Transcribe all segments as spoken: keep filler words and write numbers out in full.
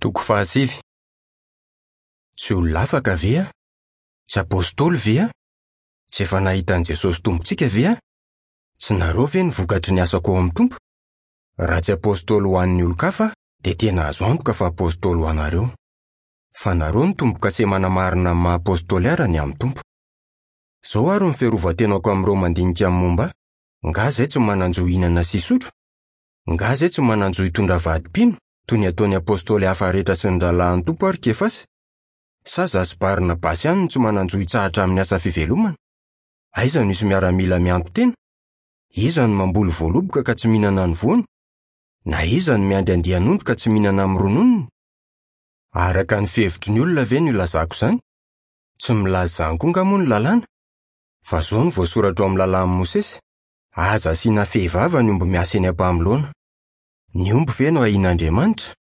Toko fahasivy. Tsy olona afaka ve aho? Tsy apôstôly ve aho? Tsy efa nahita an'i Jesosy Tompontsika ve aho? Tsy nareo ve ny vokatry ny asako ao amin'ny Tompo? Raha tsy apôstôly ho an'ny olon-kafa dia tena azo antoka fa apôstôly ho anareo. Fa nareo no tombo-kase manamarina amin'ny maha apôstôly ahy raha ny amin'ny Tompo. Izao ary ny fiarovan-tenako amin'ireo mandinika ny momba ahy: nga izay tsy manan-jo hihinana sy hisotro? Nga izay tsy manan-jo hitondra vady mpino, toy ny ataon'ny apôstôly hafa rehetra sy ny rahalahin'ny Tompo ary Kefasy? Sa izaho sy Barnabasy ihany no tsy manan-jo hitsahatra amin'ny asa fivelomana? Aiza no misy miaramila mianto-tena? Iza no mamboly voaloboka ka tsy mihinana ny voany? Na iza no miandry andian'ondry ka tsy mihinana amin'ny rononony? Araka ny fihevitry ny olona ve no ilazako izany? Tsy milaza izany koa angaha moa ny lalàna? Fa izao no voasoratra ao amin'ny lalàn'i Mosesy: aza asiana fehivava ny omby miasa eny am-pamoloana. Ny omby ve no ahian'Andriamanitra?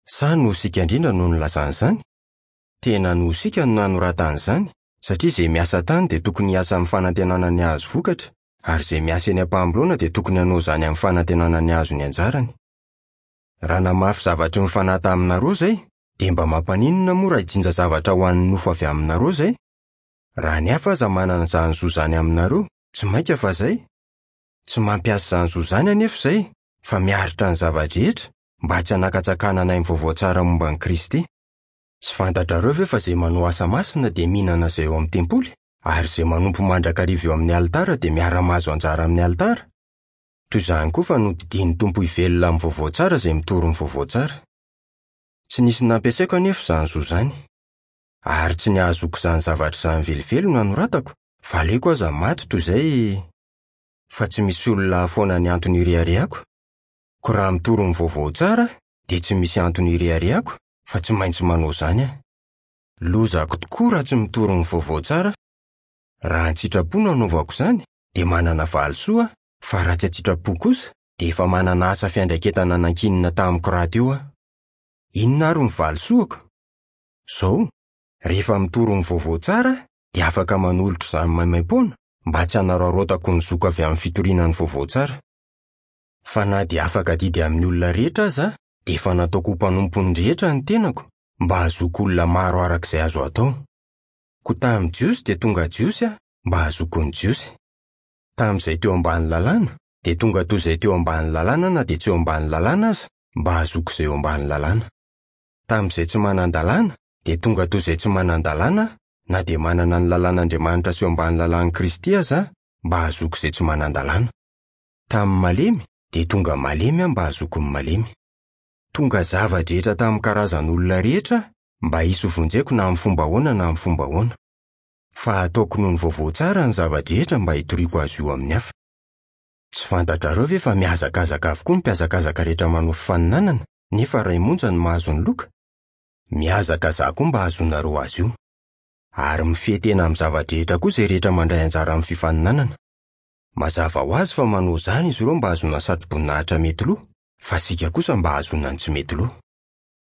Sa noho isika indrindra no nilazana izany? Tena noho isika no nanoratana izany, satria izay miasa tany dia tokony hiasa amin'ny fanantenana ny hahazo vokatra, ary izay miasa eny am-pamoloana dia tokony hanao izany amin'ny fanantenana ny hahazo ny anjarany. Raha namafy zavatry ny fanahy taminareo izay, dia mba mampaninona moa raha hijinja zavatra ho an'ny nofo avy aminareo izay? Raha ny hafa aza manana izany zo izany aminareo, tsy mainka fa izay. Tsy mampiasa izany zo izany anefa izay, fa miaritra ny zava-drehetra mba tsy hanakatsakanana ny vaovao tsara momba an'i Kristy. Tsy fantatrareo ve fa izay manao asa masina dia mihinana izay ao amin'ny tempoly, ary izay manompo mandrakariva eo amin'ny alitara dia miara-mahazo anjara amin'ny alitara? Toy izany koa fa nodidian'ny Tompo hivelona amin'ny vaovao tsara izay mitory ny vaovao tsara. Tsy nisy nampiasaiko anefa izany zo izany. Ary tsy ny hahazoako izany zavatra izany velively no nanoratako, fa aleoko aza maty toy izay fa tsy misy olona hahafoana ny antony ireharehako. Koa raha mitory ny vaovao tsara dia tsy misy antony ireharehako, fa tsy maintsy manao izany aho. Lozako tokoa raha tsy mitory ny vaovao tsara. Raha an-tsitrapo no anaovako izany dia manana valisoa aho, fa raha tsy an-tsitrapo kosa dia efa manana asa fiandraiketana nankinina tamiko rahateo aho. Inona ary ny valisoako? Izao, rehefa mitory ny vaovao tsara dia afaka manolotra izany maimaimpoana mba tsy hanararaotako ny zoko avy amin'ny fitoriana ny vaovao tsara. Fa na dia afaka adidy amin'ny olona rehetra aza dia efa nataoko ho mpanompon'ny rehetra ny tenako mba hahazoako olona maro araka izay azo atao. Koa tamin'ny Jiosy dia tonga Jiosy aho mba hahazoako ny Jiosy. Tamin'izay teo ambany lalàna dia tonga toy izay teo ambany lalàna na dia tsy eo ambany lalàna aza mba hahazoako izay eo ambany lalàna. Tamin'izay tsy manan-dalàna dia tonga toy izay tsy manan-dalàna na dia manana ny lalàn'Andriamanitra sy eo ambany lalàn'i Kristy aza mba hahazoako izay tsy manan-dalàna. Tamin'ny malemy dia tonga malemy aho mba hahazoako ny malemy. Tonga zava-drehetra tamin'ny karazan'olona rehetra mba hisy hovonjeko na amin'ny fomba ahoana na amin'ny fomba ahoana. Fa ataoko noho ny vaovao tsara ny zava-drehetra mba hitoriako azy io amin'ny hafa. Tsy fantatrareo ve fa mihazakazaka avokoa ny mpihazakazaka rehetra manao fifaninanana, nefa iray monja no mahazo ny loka? Mihazakazaha koa mba hahazoanareo azy io. Ary mifehy tena amin'ny zava-drehetra koa izay rehetra mandray anjara amin'ny fifaninanana. Mazava ho azy fa manao izany izy ireo mba hahazoana satroboninahitra mety lo, fa isika kosa mba hahazoana ny tsy mety lo.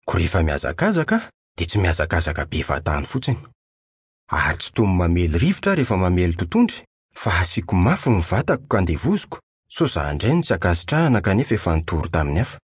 Koa rehefa mihazakazaka dia tsy mihazakazaka be fahatany fotsiny. Ary tsy toy ny mamely rivotra aho rehefa mamely totohondry, fa asiako mafy ny vatako ka andevoziko, sao izaho indray no tsy ankasitrahana kanefa efa nitory tamin'ny hafa.